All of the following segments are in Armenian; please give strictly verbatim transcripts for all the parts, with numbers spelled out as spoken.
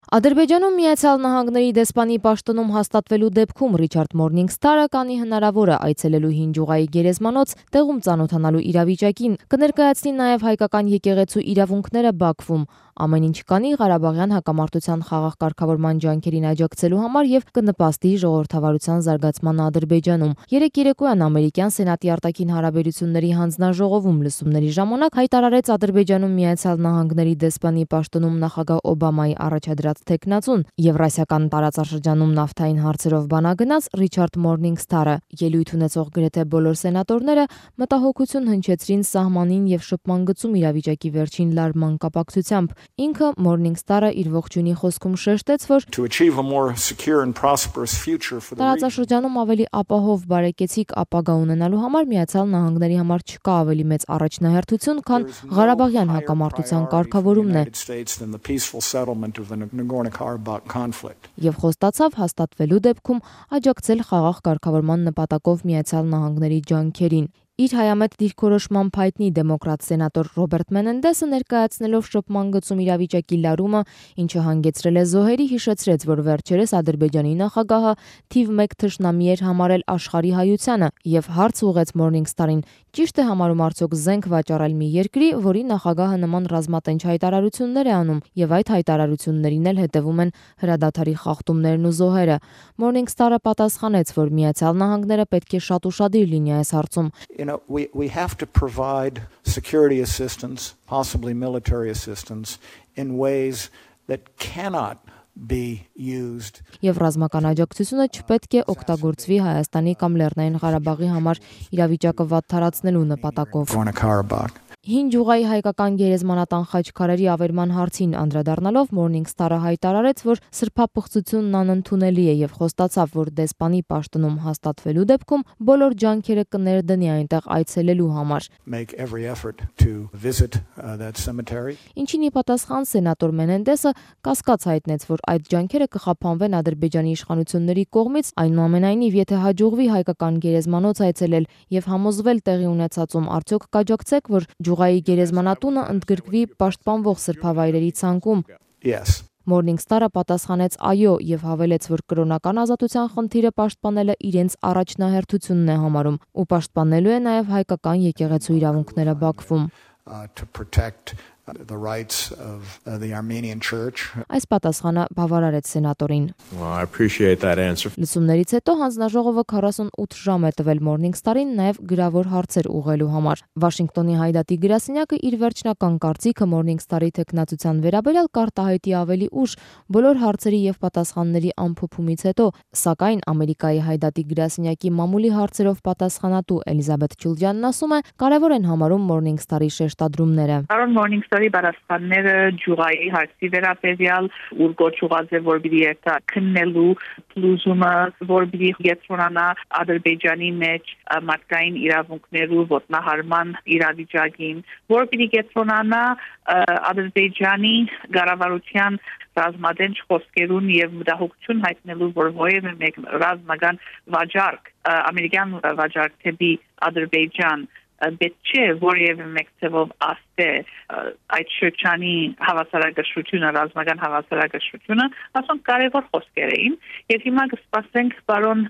Ադրբեջանում Միացյալ Նահանգների դեսպանի պաշտոնում հաստատվելու դեպքում Ռիչարդ Մորնինգսթարը կանի հնարավոր է այցելելու հին Ջուղայի գերեզմանոց տեղում ծանոթանալու իրավիճակին, կներկայացնի նաև հայկական եկեղեցու իրավունքները Բաքվում, ամեն ինչ կանի Ղարաբաղյան հակամարտության խաղաղ կարգավորման ջանքերին աջակցելու համար եւ կնպաստի ժողովրդավարության զարգացմանը Ադրբեջանում։ Երեկ երեկոյան ամերիկյան սենատի արտաքին հարաբերությունների հանձնաժողովում լսումների ժամանակ հայտարարեց Ադրբեջանում Միացյալ Նահանգների դեսպանի պաշտոնում նախագահ Օբամայի առաջադրած թեկնածուն, Եվրասիական տարածաշրջանում նավթային հարցերով բանագնաց Ռիչարդ Մորնինգսթարը։ Ելույթ ունեցող գրեթե բոլոր սենատորները մտահոգություն հնչեցրին սահմանին եւ շփման գծում իրավիճակի վերջին լարման կապակցությամբ։ Ինքը Մորնինգսթարը իր ողջույնի խոսքում շեշտեց, որ տարածաշրջանում ավելի ապահով բարեկեցիկ ապագա ունենալու համար Միացյալ Նահանգների համար չկա ավելի մեծ առաջնահերթություն, քան Ղարաբաղյան հակամարտության կարգավորումն է։ Եվ խոստացավ հաստատվելու դեպքում աջակցել խաղաղ կարգավորման նպատակով Միացյալ Նահանգների ջանքերին։ Իր հայամետ դիրքորոշման հայտնի դեմոկրատ սենատոր Ռոբերտ Մենենդեսը ներկայացնելով շփման գծում իրավիճակի լարումը, ինչը հանգեցրել է զոհերի, հիշեցրեց, որ վերջերս Ադրբեջանի նախագահը թիվ մեկ թշնամի էր համարել աշխարհի հայությանը եւ հարց ուղղեց Մորնինգսթարին. ճիշտ է համարում արդյոք զենք վաճառել մի երկրի, որի նախագահը նման ռազմատենչ հայտարարություններ է անում եւ այդ հայտարարություններին էլ հետեւում են հրադադարի խախտումներն ու զոհերը։ Մորնինգսթարը պատասխանեց, որ Միացյալ Նահանգները պետք է շատ ուշադիր լինի այս հարցում։ You know, we, we have to provide security assistance, possibly military assistance, in ways that cannot be used. Եվ ռազմական աջակցությունը չպետք է օգտագործվի Հայաստանի կամ Լեռնային Ղարաբաղի համար իրավիճակը վատթարացնելու նպատակով։ Հին Ջուղայի հայկական գերեզմանատան խաչքարերի ավերման հարցին անդրադառնալով Մորնինգսթարը հայտարարեց, որ սրբապղծությունն անընդունելի է եւ խոստացավ, որ դեսպանի պաշտոնում հաստատվելու դեպքում բոլոր ջանքերը կներդնի այնտեղ այցելելու համար։ Ինչին ի պատասխան սենատոր Մենենդեսը կասկած հայտնեց, որ այդ ջանքերը կխափանվեն Ադրբեջանի իշխանությունների կողմից, այնուամենայնիվ, եթե հաջողվի հայկական գերեզմանոց այցելել եւ համոզվել տեղի ունեցածում, արդյոք կաջակցեք, որ Ջուղայի գերեզմանատունը ընդգրկվի պաշտպանվող սրբավայրերի ցանկում։ Yes. Մորնինգսթարը պատասխանեց այո եւ հավելեց, որ կրոնական ազատության խնդիրը պաշտպանելը իրենց առաջնահերթությունն է համարում ու պաշտպանելու է նաեւ հայկական եկեղեցու իրավունքները Բաքվում։ To protect the rights of uh, the Armenian Church. Այս պատասխանը բավարարեց սենատորին։ Well, I appreciate that answer. Լսումներից հետո հանձնաժողովը քառասունութ ժամ է տվել Մորնինգսթարին նաև գրավոր հարցեր ուղղելու համար։ Վաշինգտոնի հայդատի գրասենյակը իր վերջնական կարծիքը Մորնինգսթարի թեկնածության վերաբերյալ կարտահայտի ավելի ուշ բոլոր հարցերի եւ պատասխանների ամփոփումից հետո, սակայն Ամերիկայի հայդատի գրասենյակի մամուլի հարցերով պատասխանատու Էլիզաբեթ Ջուլջյանն ասում է, կարևոր են համարում Մորնինգսթարի շեշտադրումները։ Մորնինգսթարի պատասխանները Ջուղայի հարցի վերաբերյալ ուր գոչուած է, որ պիտի երթա քննելու փլուզումը, որ պիտի գեցնանա Ադրբեջանի մեջ մարդկային իրավունքներու ոտնահարման իրավիճակին, որ պիտի գեցնանա Ադրբեջանի կառավարության ռազմադենչ խոսքերուն եւ մտահոգություն հայտնելու, որ ովևէ մեկ ռազմական վաճառք, ամերիկյան վաճառք թեպի Ադրբեջան պետք չէ որևէ մեկ ձևով ասե այդ շրջանի հավասարակշռությունը, ռազմական հավասարակշռությունը, ասում կարևոր խոսքեր էին եւ հիմա կսպասենք պարոն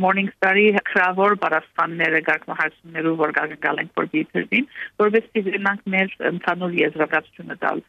Մորնինգսթարի քրավոր պատասխանները գարկմահարցումներով, որ կգալենք որ դիպերին, որովհետեւ դրանք մեր ընդհանուր եզրակացությունը տալ